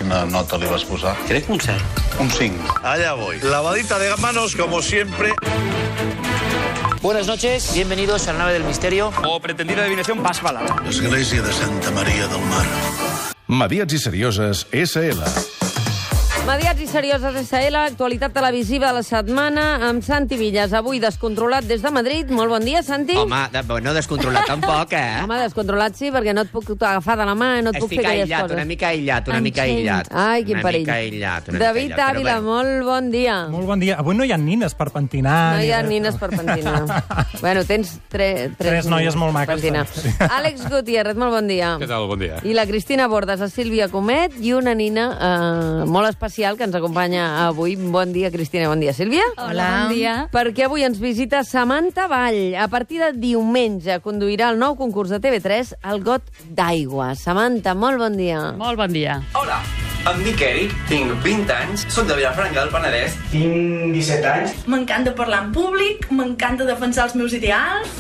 Quina nota li vas posar? Crec que un 7. Un 5. Allá voy. Lavadita de manos, como siempre. Buenas noches, bienvenidos a la nave del misterio. O pretendida adivinación más balada. Església de Santa Maria del Mar. Mediats i serioses, S.L. Mediats i serioses SL, actualitat televisiva de la setmana amb Santi Villas, avui descontrolat des de Madrid. Molt bon dia, Santi. Home, no descontrolat tampoc, Home, descontrolat sí, perquè no et puc agafar de la mà, no et puc fer aquelles coses. Una mica aïllat. Ai, quin perill. David Ávila, molt bon dia. Molt bon dia. Avui no hi ha nines per pentinar. No hi ha nines per pentinar. Bueno, tens tres noies molt maques. Àlex Gutiérrez, molt bon dia. Què tal? Bon dia. I la Cristina Bordes, la Sílvia Comet i una nina molt especial que ens acompanya avui. Bon dia, Cristina. Bon dia, Sílvia. Hola. Bon dia. Perquè avui ens visita Samantha Vall. A partir de diumenge conduirà el nou concurs de TV3, el Got d'Aigua. Samantha, molt bon dia. Molt bon dia. Hola, em dic Eric, tinc 20 anys, soc de Vilafranca del Penedès. Tinc 17 anys. M'encanta parlar en públic, m'encanta defensar els meus ideals.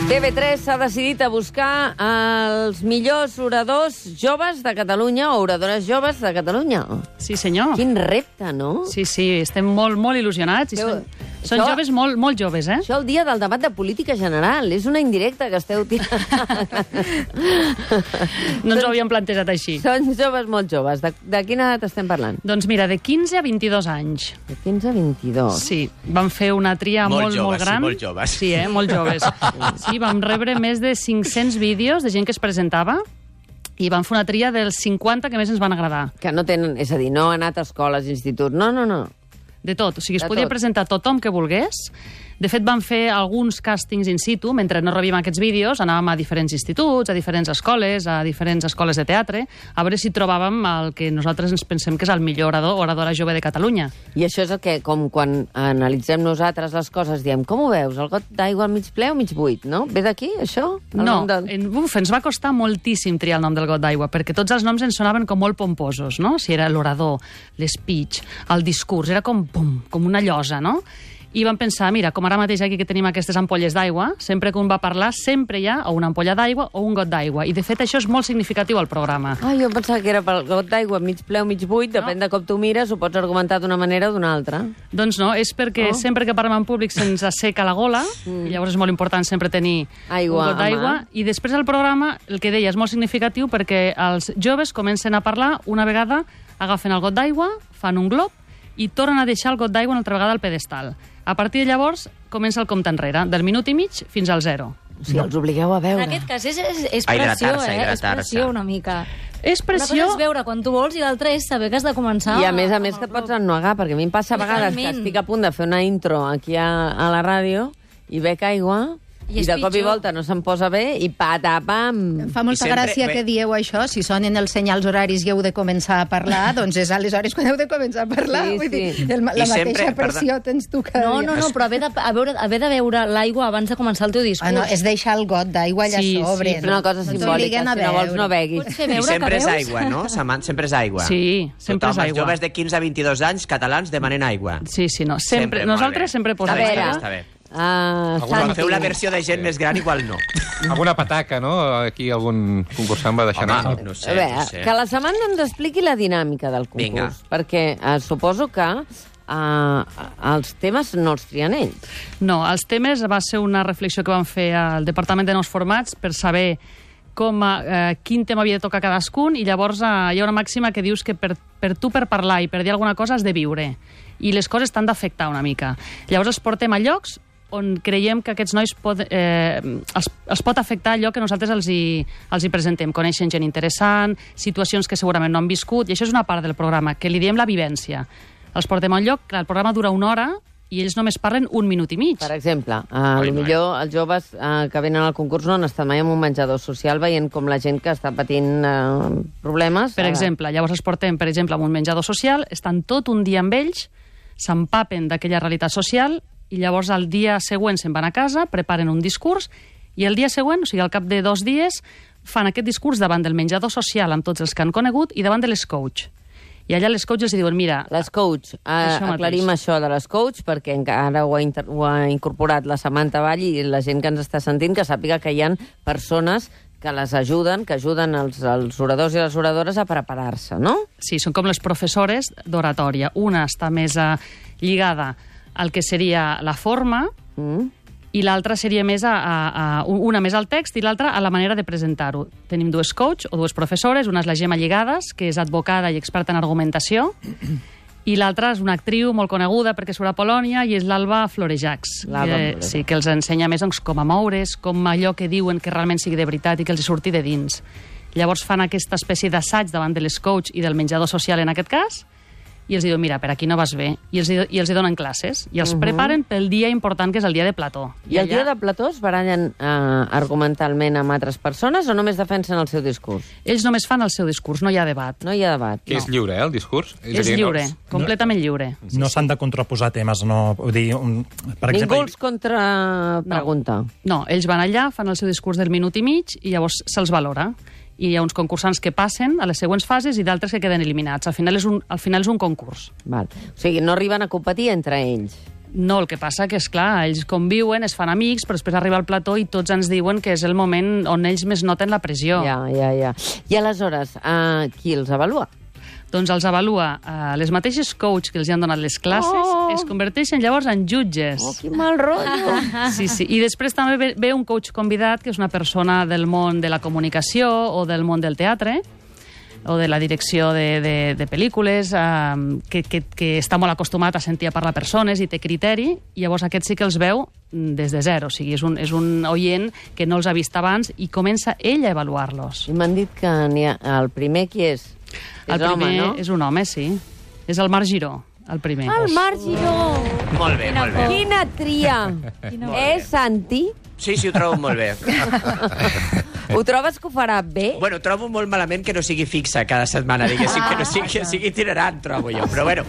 TV3 s'ha decidit a buscar els millors oradors joves de Catalunya o oradores joves de Catalunya. Sí, senyor. Quin repte, no? Sí, estem molt il·lusionats. Són joves molt joves, eh? Això el dia del debat de política general. És una indirecta que esteu tirant. No ens ho havíem plantejat així. Són joves molt joves. De quina edat estem parlant? Doncs mira, de 15 a 22 anys. De 15 a 22. Sí, vam fer una tria molt gran. Molt joves. Sí, molt joves. Sí, vam rebre més de 500 vídeos de gent que es presentava i vam fer una tria dels 50 que més ens van agradar. Que no tenen, és a dir, no han anat a escoles, instituts, no. De tot. O sigui, es podia presentar tothom que volgués. De fet, vam fer alguns càstings in situ. Mentre no rebíem aquests vídeos, anàvem a diferents instituts, a diferents escoles, a diferents escoles de teatre, a veure si trobàvem el que nosaltres ens pensem que és el millor orador o oradora jove de Catalunya. I això és el que, com quan analitzem nosaltres les coses, diem, com ho veus? El got d'aigua al mig ple o mig buit, no? Ve d'aquí, això? No, ens va costar moltíssim triar el nom del got d'aigua, perquè tots els noms ens sonaven com molt pomposos, no? Si era l'orador, l'speech, el discurs, era com una llosa, no? I vam pensar, mira, com ara mateix aquí que tenim aquestes ampolles d'aigua, sempre que un va parlar, sempre hi ha o una ampolla d'aigua o un got d'aigua. I, de fet, això és molt significatiu al programa. Jo pensava que era pel got d'aigua, mig ple o mig buit, depèn de com tu mires, ho pots argumentar d'una manera o d'una altra. Doncs no, és perquè sempre que parlem en públic se'ns asseca la gola, i llavors és molt important sempre tenir un got d'aigua. I després del programa, el que deia, és molt significatiu perquè els joves comencen a parlar, una vegada agafen el got d'aigua, fan un glob, i tornen a deixar el got d'aigua una altra vegada al pedestal. A partir de llavors, comença el compte enrere, del minut i mig fins al 0. O sigui, els obligueu a veure. En aquest cas és pressió, és pressió una mica. És pressió... Una cosa és veure quan tu vols i l'altra és saber que has de començar... I a més que et pots ennuegar, perquè a mi em passa a vegades que estic a punt de fer una intro aquí a la ràdio i bec aigua... I de cop i volta no se'm posa bé i patapam. Fa molta gràcia que dieu això, si sonen els senyals horaris i heu de començar a parlar, doncs és aleshores quan heu de començar a parlar. Vull dir, la mateixa pressió tens tu cada dia. No, però haver de beure l'aigua abans de començar el teu discurs. No, és deixar el got d'aigua allà sobre. Sí, una cosa simbòlica, si no vols no beguis. I sempre és aigua, no? Sempre és aigua. Sí, sempre és aigua. Els joves de 15 a 22 anys catalans demanen aigua. Sí, no, sempre. Nosaltres sempre posem aigua. Està bé. Quan feu la versió de gent més gran, igual no. Alguna pataca, no? Aquí algun concursant va deixar anar. No sé. Que la Samantha ens expliqui la dinàmica del concurs, perquè suposo que els temes no els trien ells. No, els temes va ser una reflexió que vam fer al Departament de Nous Formats per saber quin tema havia de tocar cadascun, i llavors hi ha una màxima que dius que per parlar i per dir alguna cosa has de viure, i les coses t'han d'afectar una mica. Llavors els portem a llocs on creiem que aquests nois els pot afectar allò que nosaltres els hi presentem. Coneixen gent interessant, situacions que segurament no han viscut, i això és una part del programa, que li diem la vivència. Els portem a un lloc, el programa dura 1 hora, i ells només parlen 1 minut i mig. Per exemple, potser els joves que venen al concurs no han estat mai en un menjador social veient com la gent que està patint problemes... Per exemple, llavors els portem, per exemple, a un menjador social, estan tot un dia amb ells, s'empapen d'aquella realitat social, i llavors el dia següent se'n van a casa, preparen un discurs, i el dia següent, o sigui, al cap de 2 dies, fan aquest discurs davant del menjador social amb tots els que han conegut i davant de les coach. I allà les coaches els diuen, mira... Les coach, aclarim això de les coach, perquè encara ho ha incorporat la Samantha Vall i la gent que ens està sentint, que sàpiga que hi ha persones que les ajuden, que ajuden els oradors i les oradores a preparar-se, no? Sí, són com les professores d'oratòria. Una està més lligada al que seria la forma i l'altra seria més una més al text i l'altra a la manera de presentar-ho. Tenim dues coach o dues professores, una és la Gemma Lligades, que és advocada i experta en argumentació, i l'altra és una actriu molt coneguda perquè surt a Polònia i és l'Alba Florejacs, que els ensenya més com a moure's, com allò que diuen que realment sigui de veritat i que els surti de dins. Llavors fan aquesta espècie d'assaig davant de les coach i del menjador social en aquest cas, i els diuen, mira, per aquí no vas bé, i els donen classes, i els preparen pel dia important, que és el dia de plató. I el dia de plató es barallen argumentalment amb altres persones o només defensen el seu discurs? Ells només fan el seu discurs, no hi ha debat. No hi ha debat. Que és lliure, el discurs? És lliure, completament lliure. No s'han de contraposar temes, no? Vull dir, per exemple... Ningú els contrapregunta. No, ells van allà, fan el seu discurs del minut i mig i llavors se'ls valora. I hi ha uns concursants que passen a les següents fases i d'altres que queden eliminats. Al final és un concurs. Val. O sigui, no arriben a competir entre ells. No, el que passa que, és clar, ells conviuen, es fan amics, però després arriba al plató i tots ens diuen que és el moment on ells més noten la pressió. Ja. I aleshores, qui els avalua? Doncs els avalua les mateixes coach que els han donat les classes, es converteixen llavors en jutges. Oh, quin mal rotllo! Sí. I després també ve un coach convidat, que és una persona del món de la comunicació o del món del teatre, o de la direcció de pel·lícules, que està molt acostumat a sentir a parlar persones i té criteri, i llavors aquest sí que els veu des de zero. O sigui, és un oient que no els ha vist abans i comença ell a avaluar-los. I m'han dit que el primer qui és? El primer no? És un home, sí. És el Marc Giró, el primer. El Marc Giró! Molt bé, molt bé. Quina tria! És Santi? Sí, ho trobo molt bé. Ho trobes que ho farà bé? Bueno, trobo molt malament que no sigui fixa cada setmana, diguéssim, que no sigui itinerant, trobo jo. Però bueno,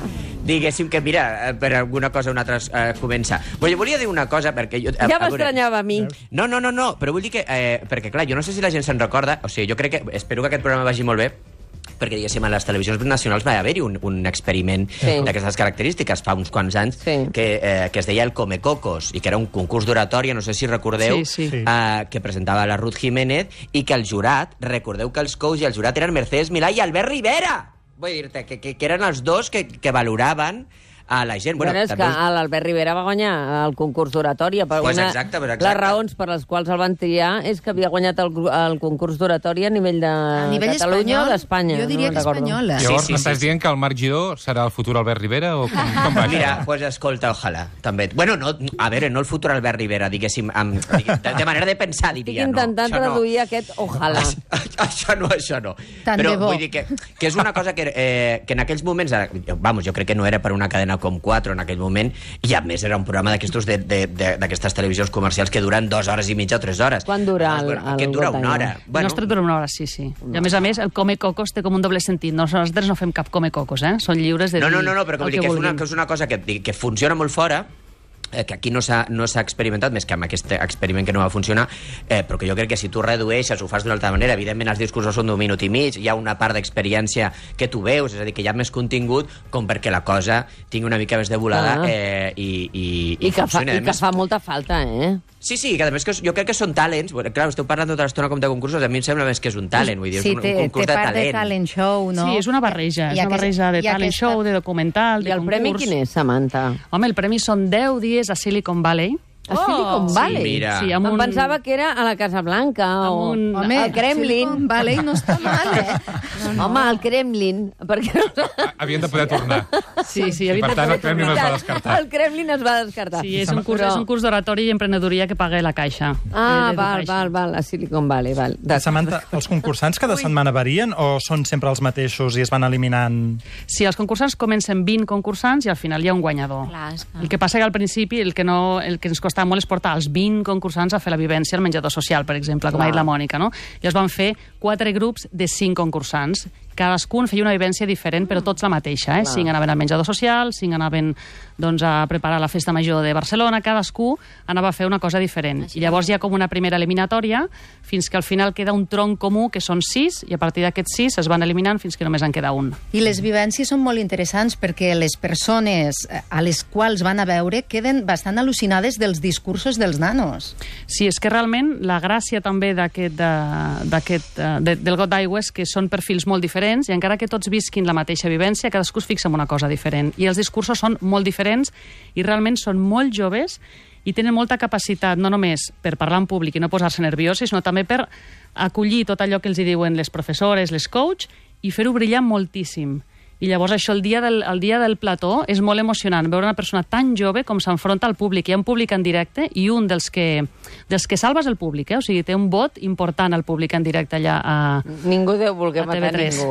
diguéssim que, mira, per alguna cosa o una altra comença. Volia dir una cosa, perquè jo... Ja m'estranyava a mi. No, però vull dir que... Perquè, clar, jo no sé si la gent se'n recorda, o sigui, jo crec que... Espero que aquest programa vagi molt bé, perquè, diguéssim, a les televisions nacionals va haver-hi un experiment d'aquestes característiques fa uns quants anys que es deia el Comecocos i que era un concurs d'oratòria, no sé si recordeu, que presentava la Ruth Jiménez i que el jurat, recordeu que els coaches i el jurat eren Mercedes Milà i Albert Rivera! Vull dir-te que eren els dos que valoraven a la gent. Bueno, és que l'Albert Rivera va guanyar el concurs d'oratòria. Exacte. Les raons per les quals el van triar és que havia guanyat el concurs d'oratòria a nivell de Catalunya o d'Espanya. Jo diria que espanyola. Llavors m'estàs dient que el Marc Giró serà el futur Albert Rivera o com va? Mira, pues escolta, ojalà, també. Bueno, a veure, no el futur Albert Rivera, diguéssim, de manera de pensar, diria. Estic intentant traduir aquest ojalà. Això no. Però vull dir que és una cosa que en aquells moments, jo crec que no era per una cadena com 4 en aquell moment, i a més era un programa d'aquestes televisions comercials que duren 2 hores i mitja o 3 hores. Quan dura aquest dura una hora. El nostre dura una hora, sí. I a més, el Comecocos té com un doble sentit. Nosaltres no fem cap Comecocos, Són lliures de dir No, però vull dir que és una cosa que funciona molt fora, que aquí no s'ha experimentat, més que amb aquest experiment que no va funcionar, però que jo crec que si tu redueixes, ho fas d'una altra manera, evidentment els discursos són d'1 minut i mig, hi ha una part d'experiència que tu veus, és a dir, que hi ha més contingut com perquè la cosa tingui una mica més de volada i funcioni. I que fa molta falta, Sí, que a més jo crec que són talents. Clar, esteu parlant tota l'estona com de concursos, a mi em sembla més que és un talent, vull dir, és un concurs de talent. Sí, té part de talent show, no? Sí, és una barreja, és una barreja de talent show, de documental, de concurs. I el premi quin és, Samantha? Home, el premi són 10 dies a Silicon Valley. A Silicon Valley? Sí, mira. Sí, em pensava que era a la Casa Blanca o al Kremlin. Silicon Valley no està mal, Home, al Kremlin. Perquè... Havien de poder tornar. Sí, i per tant el Kremlin es va descartar. El Kremlin es va descartar. Sí, és un curs d'oratori i emprenedoria que paga la Caixa. Val, a Silicon Valley, val. Samantha, els concursants cada setmana varien o són sempre els mateixos i es van eliminant? Sí, els concursants comencen 20 concursants i al final hi ha un guanyador. El que passa que al principi el que ens costa molt és portar els 20 concursants a fer la vivència al menjador social, per exemple, com ha dit la Mònica, no? Llavors van fer 4 grups de 5 concursants cadascun feia una vivència diferent, però tots la mateixa. 5 anaven al menjador social, 5 anaven a preparar la festa major de Barcelona, cadascú anava a fer una cosa diferent. I llavors hi ha com una primera eliminatòria, fins que al final queda un tronc comú, que són 6, i a partir d'aquests 6 es van eliminant fins que només en queda un. I les vivències són molt interessants perquè les persones a les quals van a veure queden bastant al·lucinades dels discursos dels nanos. Sí, és que realment la gràcia també del Got d'Aigua és que són perfils molt diferents i encara que tots visquin la mateixa vivència, cadascú es fixa en una cosa diferent. I els discursos són molt diferents i realment són molt joves i tenen molta capacitat, no només per parlar en públic i no posar-se nerviosos, sinó també per acollir tot allò que els diuen les professores, les coach, i fer-ho brillar moltíssim. I llavors això, el dia del plató, és molt emocionant veure una persona tan jove com s'enfronta al públic. Hi ha un públic en directe i un dels que salva és el públic, o sigui, té un vot important al públic en directe allà a TV3. Ningú deu voler matar ningú,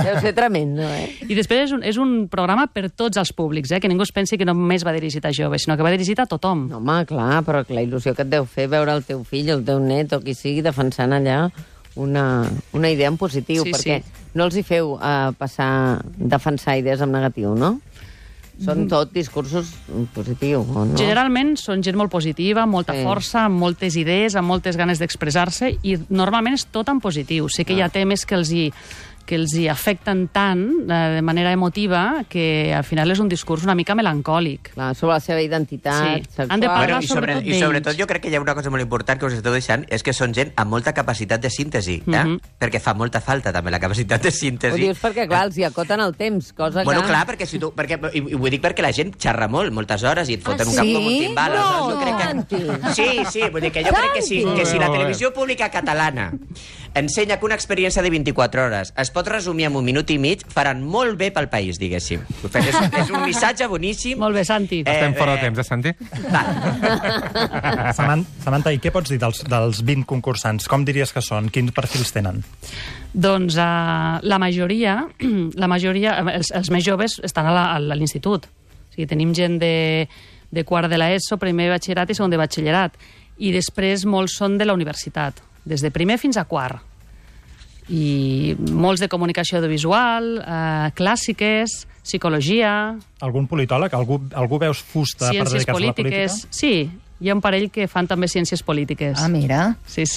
Deu ser tremendo, I després és un programa per tots els públics, que ningú es pensi que només va dirigit a joves, sinó que va dirigit a tothom. No, home, clar, però la il·lusió que et deu fer veure el teu fill, el teu net o qui sigui defensant allà una idea en positiu, perquè no els hi feu defensar idees en negatiu, no? Són tot discursos positius, o no? Generalment són gent molt positiva, molta força, amb moltes idees, amb moltes ganes d'expressar-se, i normalment és tot en positiu. Sé que hi ha temes que els hi afecten tant de manera emotiva que al final és un discurs una mica melancòlic. Clar, sobre la seva identitat sexual. Han de parlar sobretot d'ells. I sobretot jo crec que hi ha una cosa molt important que us esteu deixant, és que són gent amb molta capacitat de síntesi, perquè fa molta falta també la capacitat de síntesi. Ho dius perquè, clar, els hi acoten el temps, cosa que... Bueno, clar, perquè si tu... I ho dic perquè la gent xerra moltes hores, i et foten un cap com un timbal. Sí, vull dir que jo crec que si la televisió pública catalana ensenya que una experiència de 24 hores es pot resumir en 1 minut i mig, faran molt bé pel país, diguéssim. És un missatge boníssim. Molt bé, Santi. Estem fora de temps, Santi? Samantha, i què pots dir dels 20 concursants? Com diries que són? Quins perfils tenen? Doncs la majoria, els més joves estan a l'institut. O sigui, tenim gent de quart de l'ESO, primer de batxillerat i segon de batxillerat. I després molts són de la universitat, des de primer fins a quart. I molts de comunicació audiovisual, clàssiques, psicologia... Algun politòleg? Algú veus fusta per dedicar-se a la política? Sí, hi ha un parell que fan també ciències polítiques. Ah, mira. Sí.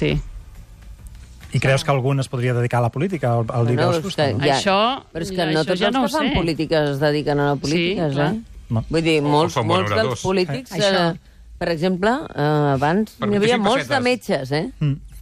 I creus que algun es podria dedicar a la política? Al dir que veus fusta? Però és que no tots els que fan polítiques es dediquen a la política, Vull dir, molts dels polítics... Per exemple, abans n'hi havia molts de metges,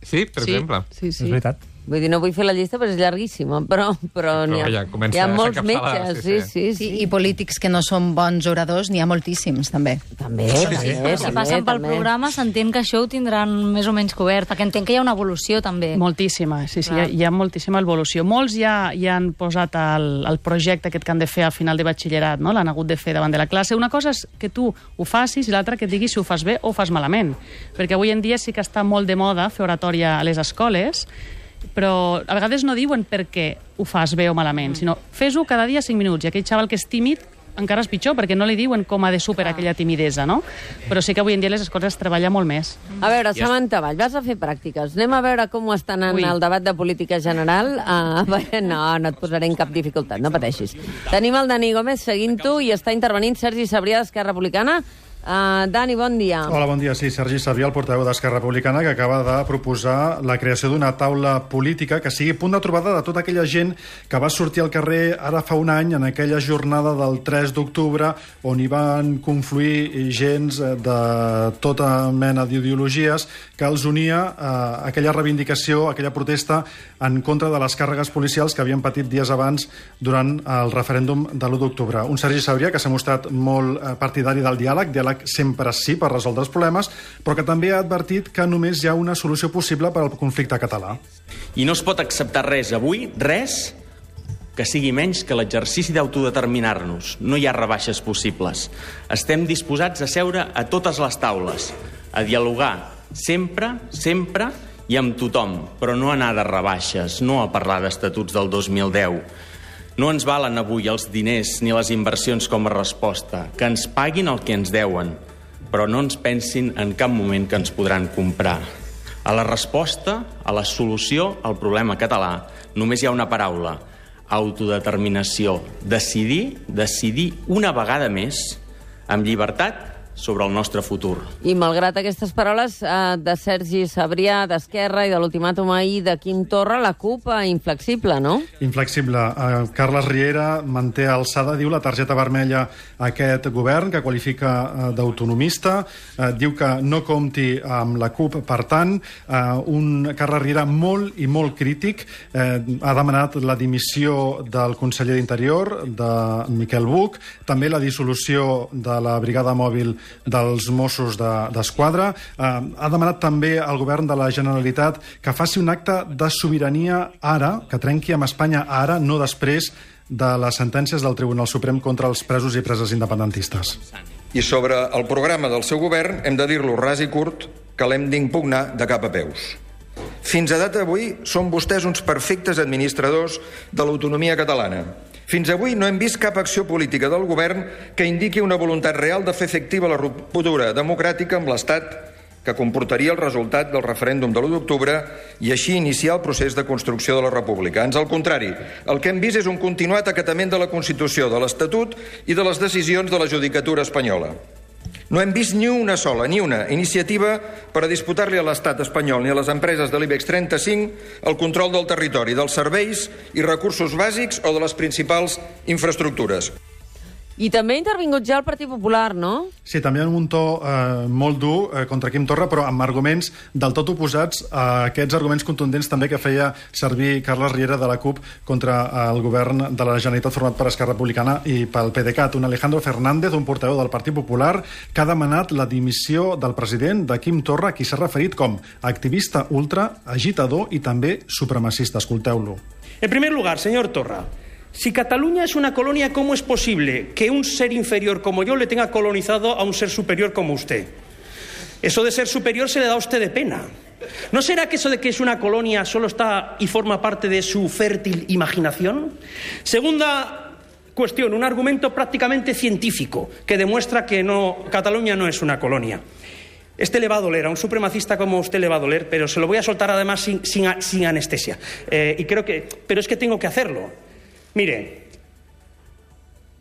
Sí, per exemple. Sí. És veritat. Vull dir, no vull fer la llista perquè és llarguíssima, però hi ha molts metges, sí. I polítics que no són bons oradors n'hi ha moltíssims, també. També. Si passen pel programa s'entén que això ho tindran més o menys cobert, perquè entenc que hi ha una evolució, també. Moltíssima, sí, hi ha moltíssima evolució. Molts ja han posat el projecte aquest que han de fer al final de batxillerat, no? L'han hagut de fer davant de la classe. Una cosa és que tu ho facis i l'altra que et diguis si ho fas bé o ho fas malament. Perquè avui en dia sí que està molt de moda fer oratòria a les escoles, però a vegades no diuen per què ho fas bé o malament, sinó fes-ho cada dia 5 minuts, i aquell xaval que és tímid encara és pitjor, perquè no li diuen com ha de superar aquella timidesa, no? Però sí que avui en dia les escoles es treballa molt més. A veure, Samantha Vall, vas a fer pràctiques. Anem a veure com ho està anant el debat de política general. No et posaré en cap dificultat, no pateixis. Tenim el Dani Gómez seguint-ho i està intervenint Sergi Sabrià d'Esquerra Republicana. Dani, bon dia. Hola, bon dia. Sí, Sergi Sabrià, el portaveu d'Esquerra Republicana, que acaba de proposar la creació d'una taula política que sigui punt de trobada de tota aquella gent que va sortir al carrer ara fa un any, en aquella jornada del 3 d'octubre, on hi van confluir gens de tota mena d'ideologies, que els unia a aquella reivindicació, aquella protesta en contra de les càrregues policials que havien patit dies abans durant el referèndum de l'1 d'octubre. Un Sergi Sabrià que s'ha mostrat molt partidari del diàleg sempre sí per resoldre els problemes, però que també ha advertit que només hi ha una solució possible per al conflicte català. I no es pot acceptar res avui, res, que sigui menys que l'exercici d'autodeterminar-nos. No hi ha rebaixes possibles. Estem disposats a seure a totes les taules, a dialogar sempre i amb tothom, però no anar de rebaixes, no a parlar d'estatuts del 2010. No ens valen avui els diners ni les inversions com a resposta, que ens paguin el que ens deuen, però no ens pensin en cap moment que ens podran comprar. A la resposta, a la solució al problema català, només hi ha una paraula: autodeterminació, decidir una vegada més, amb llibertat, sobre el nostre futur. I malgrat aquestes paraules de Sergi Sabrià, d'Esquerra, i de l'ultimàtum ahir de Quim Torra, la CUP inflexible, no? Inflexible. Carles Riera manté alçada, diu, la targeta vermella a aquest govern, que qualifica d'autonomista, diu que no compti amb la CUP, per tant, un Carles Riera molt i molt crític, ha demanat la dimissió del conseller d'Interior, de Miquel Buch, també la dissolució de la brigada mòbil dels Mossos d'Esquadra. Ha demanat també al govern de la Generalitat que faci un acte de sobirania ara, que trenqui amb Espanya ara, no després de les sentències del Tribunal Suprem contra els presos i preses independentistes. I sobre el programa del seu govern hem de dir-lo ras i curt que l'hem d'impugnar de cap a peus. Fins a data d'avui són vostès uns perfectes administradors de l'autonomia catalana. Fins avui no hem vist cap acció política del govern que indiqui una voluntat real de fer efectiva la ruptura democràtica amb l'Estat que comportaria el resultat del referèndum de l'1 d'octubre i així iniciar el procés de construcció de la República. Ans al contrari, el que hem vist és un continuat acatament de la Constitució, de l'Estatut i de les decisions de la judicatura espanyola. No hem vist ni una sola, ni una iniciativa per a disputar-li a l'estat espanyol ni a les empreses de l'IBEX 35 el control del territori, dels serveis i recursos bàsics o de les principals infraestructures. I també ha intervingut ja el Partit Popular, no? Sí, també en un to molt dur contra Quim Torra, però amb arguments del tot oposats a aquests arguments contundents també que feia servir Carles Riera de la CUP contra el govern de la Generalitat format per Esquerra Republicana i pel PDeCAT. Un Alejandro Fernández, un portaveu del Partit Popular, que ha demanat la dimissió del president, de Quim Torra, qui s'ha referit com activista ultra, agitador i també supremacista. Escolteu-lo. En primer lugar, señor Torra, si Cataluña es una colonia, ¿cómo es posible que un ser inferior como yo le tenga colonizado a un ser superior como usted? Eso de ser superior se le da a usted de pena. ¿No será que eso de que es una colonia solo está y forma parte de su fértil imaginación? Segunda cuestión, un argumento prácticamente científico que demuestra que Cataluña no es una colonia. Este le va a doler, a un supremacista como usted le va a doler, pero se lo voy a soltar además sin anestesia. Pero es que tengo que hacerlo. Mire,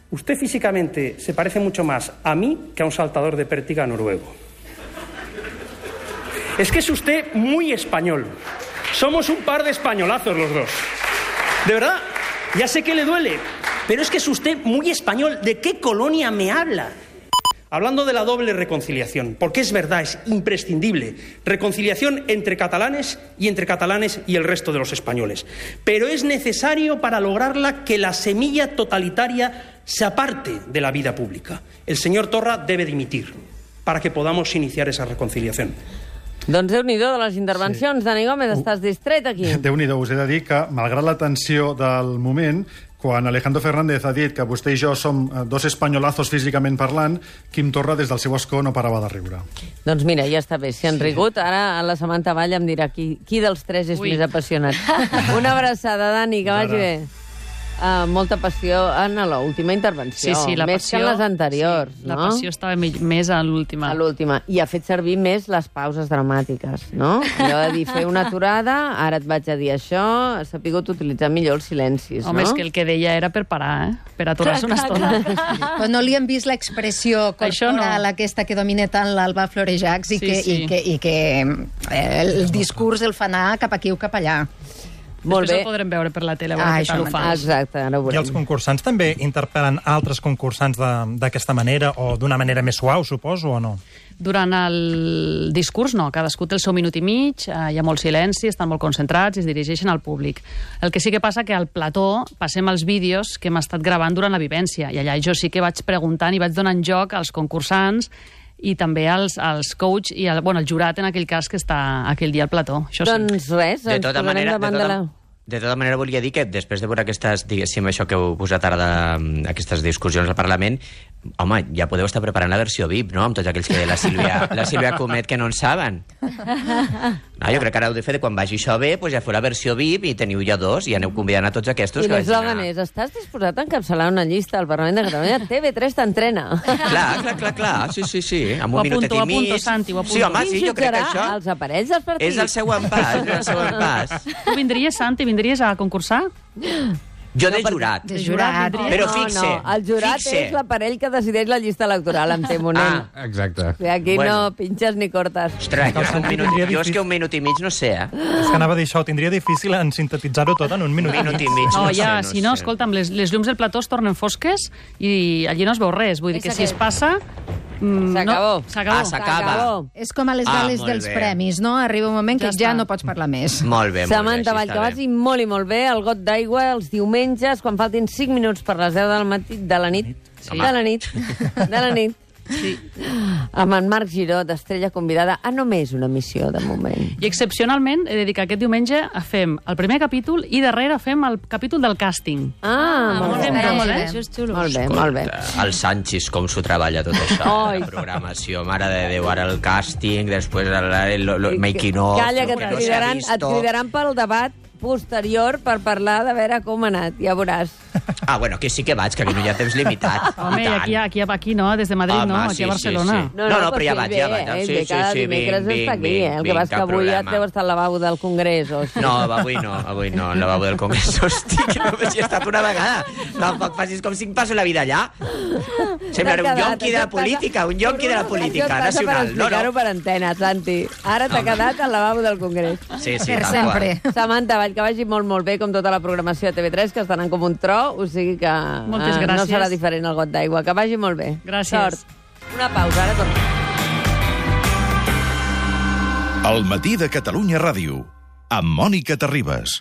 usted físicamente se parece mucho más a mí que a un saltador de pértiga noruego. Es que es usted muy español. Somos un par de españolazos los dos. De verdad, ya sé que le duele, pero es que es usted muy español. ¿De qué colonia me habla? Hablando de la doble reconciliación, porque es verdad, es imprescindible, reconciliación entre catalanes y el resto de los españoles. Pero es necesario para lograrla que la semilla totalitaria se aparte de la vida pública. El señor Torra debe dimitir para que podamos iniciar esa reconciliación. Doncs Déu-n'hi-do de les intervencions. Sí. Dani Gómez, estàs distret aquí. Déu-n'hi-do, us he de dir que, malgrat la tensió del moment, quan Alejandro Fernández ha dit que vostè i jo som dos espanyolazos físicament parlant, Quim Torra des del seu escó no parava de riure. Doncs mira, ja està bé. Si han rigut, ara la Samantha Vall em dirà qui dels tres és més apassionat. Una abraçada, Dani, que vagi bé. Molta passió en l'última intervenció. Sí, la més passió, que en les anteriors, sí, no? La passió estava més a l'última. A l'última. I ha fet servir més les pauses dramàtiques, no? Allò de dir, fer una aturada, ara et vaig a dir això, s'ha pogut utilitzar millor els silencis, Home, no? és que el que deia era per parar, per aturar-se una estona. Però no li hem vist l'expressió corporal aquesta que domina tant l'Alba Florejacs i que el discurs el fa anar cap aquí o cap allà. Després el podrem veure per la tele, a veure què tal ho fa. Exacte, ara ho veurem. I els concursants també interpel·len altres concursants d'aquesta manera o d'una manera més suau, suposo, o no? Durant el discurs, no. Cadascú té el seu minut i mig, hi ha molt silenci, estan molt concentrats i es dirigeixen al públic. El que sí que passa que al plató passem els vídeos que hem estat gravant durant la vivència, i allà jo sí que vaig preguntant i vaig donant joc als concursants i també als coach i el jurat, en aquell cas, que està aquell dia al plató. Això doncs res, ens posarem davant de la... De tota manera, volia dir que després de veure aquestes, diguéssim, això que heu posat ara d'aquestes discussions al Parlament, home, ja podeu estar preparant la versió VIP, no?, amb tots aquells que la Sílvia Comet que no en saben. No, jo crec que ara heu de fer, quan vagi això bé, ja feu la versió VIP i teniu ja dos, i aneu convidant a tots aquests. I l'eslògan és, estàs disposat a encapçalar una llista al Parlament de Catalunya? TV3 t'entrena. Clar, sí, amb un minutet i mig. Ho apunto, Santi, ho apunto. Sí, home, sí, jo crec que això... els aparells dels partits. És el seu pas. Tu vindries, Santi, vindries a concursar? Jo de jurat. De jurat. Però fixe. No, el jurat és l'aparell que decideix la llista electoral, em temo, nen. Exacte. Aquí no pinxes ni cortes. Ostres, jo és que un minut i mig no sé, És que anava a dir això, tindria difícil en sintetitzar-ho tot en un minut i mig. No, ja, si no, escolta'm, les llums del plató es tornen fosques i allí no es veu res. Vull dir que si es passa... S'acabó. S'acaba. És com a les gales dels premis, no? Arriba un moment que ja no pots parlar més. Molt bé, Samantha Vall, que vagi molt i molt bé. El got d'aigua els diumenges, quan faltin 5 minuts per les 10 del matí, de la nit. De la nit. Sí. Amb en Marc Giró, d'Estrella Convidada, a només una missió, de moment. I excepcionalment he de dir que aquest diumenge fem el primer capítol i darrere fem el capítol del càsting. Molt bé. Això és xulo. Molt bé. El Sanchis, com s'ho treballa tot això. La programació, mare de Déu, ara el càsting, després el making of... Calla, que et cridaran pel debat posterior per parlar de veure com ha anat, ja veuràs. Bueno, que sí que vaig, que aquí no hi ha temps limitat. Home, aquí no, des de Madrid no, aquí a Barcelona. No, però ja vaig. Cada dimecres està aquí, el que vas que avui ja et deu estar al lavabo del Congrés o així. No, avui no, al lavabo del Congrés. Hosti, que només hi he estat una vegada. Tampoc facis com si em passo la vida allà. Sembla un yonqui de la política, nacional. Per explicar-ho per antena, Santi. Ara t'ha quedat al lavabo del Congrés. Sí, per sempre. Samantha Vall, que vagi molt bé, com tota la programació de TV3, que estan com un tro, o sigui que no serà diferent el got d'aigua. Que vagi molt bé. Gràcies. Sort. Una pausa, ara tornem. El matí de Catalunya Ràdio, amb Mònica Terribas.